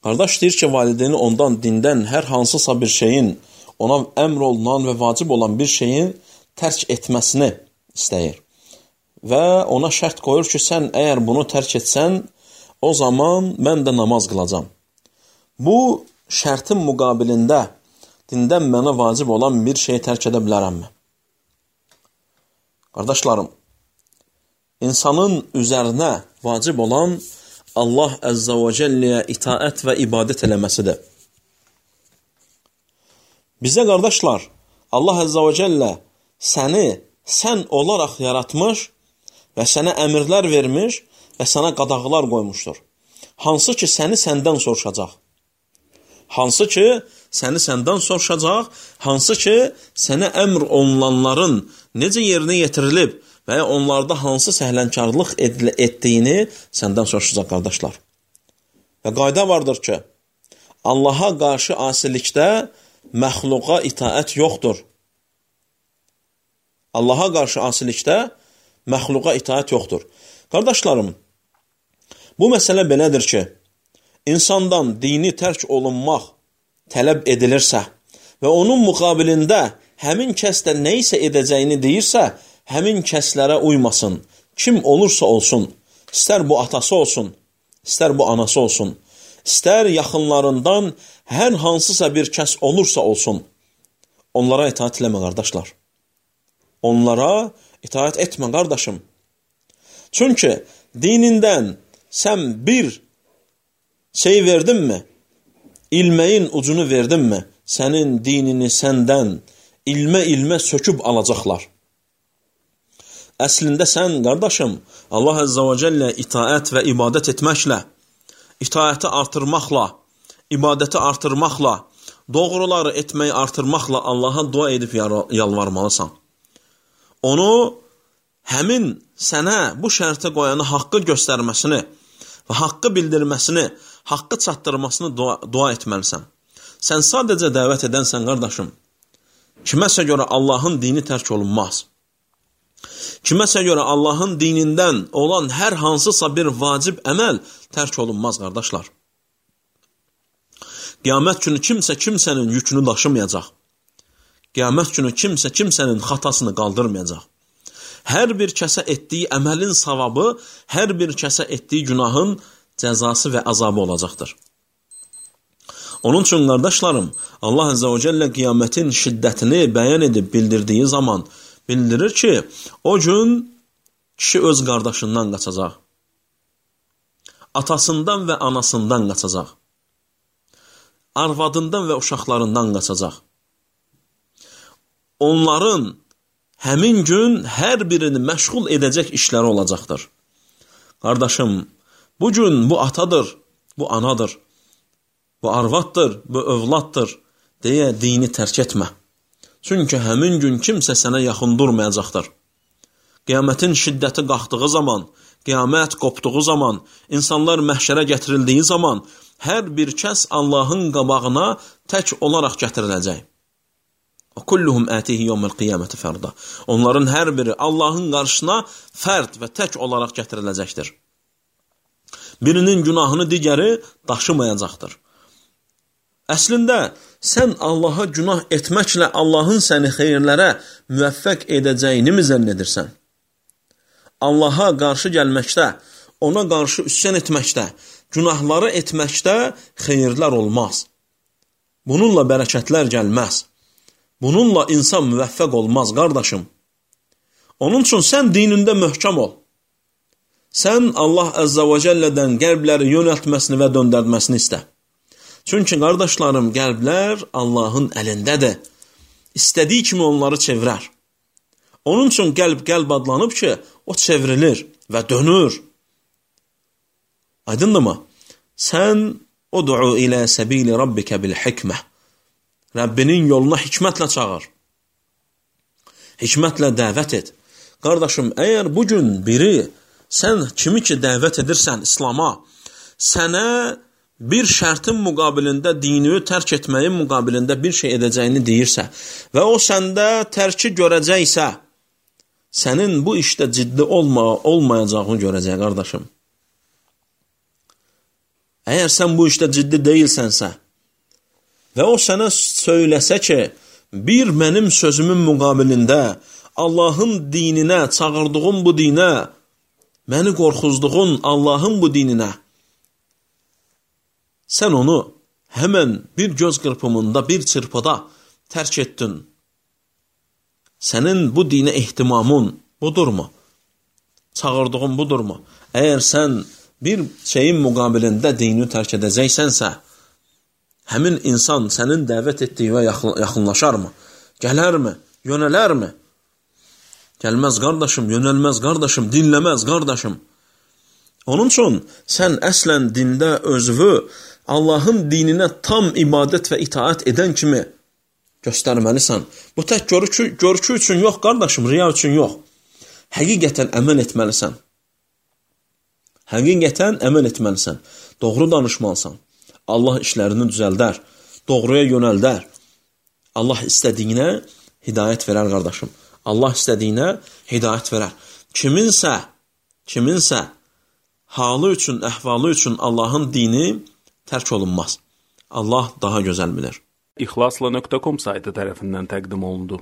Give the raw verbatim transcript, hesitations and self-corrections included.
Qardaş deyir ki, valideyni ondan dindən hər hansısa bir şeyin, ona əmr olunan və vacib olan bir şeyin tərk etməsini istəyir. Və ona şərt qoyur ki, sən əgər bunu tərk etsən, o zaman mən də namaz qılacam. Bu şərtin müqabilində dindən mənə vacib olan bir şeyi tərk edə bilərəmmi? Qardaşlarım, insanın üzərinə vacib olan Allah Əzzə və Cəlləyə itaət və ibadət eləməsidir. Bizə qardaşlar, Allah Əzzə və Cəllə səni sən olaraq yaratmış və sənə əmrlər vermiş və sənə qadağalar qoymuşdur. Hansı ki, səni səndən soruşacaq. Hansı ki, səni səndən soruşacaq, hansı ki, sənə əmr olunanların necə yerinə yetirilib və ya onlarda hansı səhlənkarlıq etdiyini səndən soruşacaq, qardaşlar. Və qayda vardır ki, Allaha qarşı asilikdə məxluqa itaət yoxdur. Allaha qarşı asilikdə məxluqa itaət yoxdur. Qardaşlarım, bu məsələ belədir ki, insandan dini tərk olunmaq tələb edilirsə və onun müqabilində həmin kəs də nə isə edəcəyini deyirsə, həmin kəslərə uymasın. Kim olursa olsun, istər bu atası olsun, istər bu anası olsun, istər yaxınlarından hər hansısa bir kəs olursa olsun, onlara itaat eləmə, qardaşlar. Onlara itaat etmə, qardaşım. Çünki dinindən sən bir şey verdinmi, ilməyin ucunu verdinmi, sənin dinini səndən ilmə-ilmə söküb alacaqlar. Əslində sən, qardaşım, Allah Əzzə və Cəllə itaət və ibadət etməklə, itaəti artırmaqla, ibadəti artırmaqla, doğruları etməyi artırmaqla Allaha dua edib yalvarmalısan. Onu həmin sənə bu şərtə qoyanı haqqı göstərməsini və haqqı bildirməsini, haqqı çatdırmasını dua, dua etməlisən. Sən sadəcə dəvət edənsən, qardaşım. Kiməsə görə Allahın dini tərk olunmaz. Kiməsə görə Allahın dinindən olan hər hansısa bir vacib əməl tərk olunmaz, qardaşlar. Qiyamət günü kimsə kimsənin yükünü daşımayacaq. Qiyamət günü kimsə kimsənin xatasını qaldırmayacaq. Hər bir kəsə etdiyi əməlin savabı, hər bir kəsə etdiyi günahın cəzası və azabı olacaqdır. Onun üçün, qardaşlarım, Allah Əzzə və Cəllə qiyamətin şiddətini bəyan edib bildirdiyi zaman bildirir ki, o gün kişi öz qardaşından qaçacaq. Atasından və anasından qaçacaq. Arvadından və uşaqlarından qaçacaq. Onların həmin gün hər birini məşğul edəcək işləri olacaqdır. Qardaşım, bu gün bu atadır, bu anadır, bu arvaddır, bu övladdır deyə dini tərk etmə. Çünki həmin gün kimsə sənə yaxın durmayacaqdır. Qiyamətin şiddəti qalxdığı zaman, qiyamət qopduğu zaman, insanlar məhşərə gətirildiyi zaman, hər bir kəs Allahın qabağına tək olaraq gətiriləcək. Kulluhum atihi yawmal qiyamati farda. Onların hər biri Allahın qarşısına fərd və tək olaraq gətiriləcəkdir. Birinin günahını digəri daşımayacaqdır. Əslində, sən Allaha günah etməklə Allahın səni xeyirlərə müvəffəq edəcəyini mi zənn edirsən? Allaha qarşı gəlməkdə, ona qarşı üsyan etməkdə, günahları etməkdə xeyirlər olmaz. Bununla bərəkətlər gəlməz. Bununla insan müvəffəq olmaz, qardaşım. Onun üçün sən dinində möhkəm ol. Sən Allah Əzzə və Cəllədən qəlbləri yönəltməsini və döndərməsini istə. Çünki, qardaşlarım, qəlblər Allahın əlindədir. İstədiyi kimi onları çevirər. Onun üçün qəlb qəlb adlanıb ki, o çevrilir və dönür. Aydındırmı? Sən ud'u ilə səbili rabbikə bil hikmə. Rəbbinin yoluna hikmətlə çağır. Hikmətlə dəvət et. Qardaşım, əgər bugün biri, sən kimi ki dəvət edirsən İslama, sənə bir şərtin müqabilində, dini tərk etməyin müqabilində bir şey edəcəyini deyirsə və o səndə tərki görəcəksə, sənin bu işdə ciddi olma, olmayacağını görəcək, qardaşım. Əgər sən bu işdə ciddi deyilsənsə və o sənə söyləsə ki, bir mənim sözümün müqabilində Allahın dininə, çağırdığın bu dinə, məni qorxuzduğun Allahın bu dininə, sən onu həmən bir göz qırpımında, bir çırpıda tərk etdin. Sənin bu dinə ehtimamın budurmu? Çağırdığın budurmu? Əgər sən bir şeyin müqabilində dini tərk edəcəksənsə, həmin insan sənin dəvət etdiyinə yaxınlaşarmı? Gələrmi? Yönələrmi? Gəlməz qardaşım, yönəlməz qardaşım, dinləməz qardaşım. Onun üçün sən əslən dində özvü Allahın dininə tam ibadət və itaat edən kimi göstərməlisən. Bu tək görükü, görükü üçün yox qardaşım, riya üçün yox. Həqiqətən əməl etməlisən. Həqiqətən əməl etməlisən. Doğru danışmalısan. Allah işlərini düzəldər, doğruya yönəldər. Allah istədiyinə hidayət verər qardaşım. Allah istədiyinə hidayət verər. Kiminsə, kiminsə halı üçün, əhvalı üçün Allahın dini tərk olunmaz. Allah daha gözəl bilir. İxlasla nöqtə com saytı tərəfindən təqdim olundu.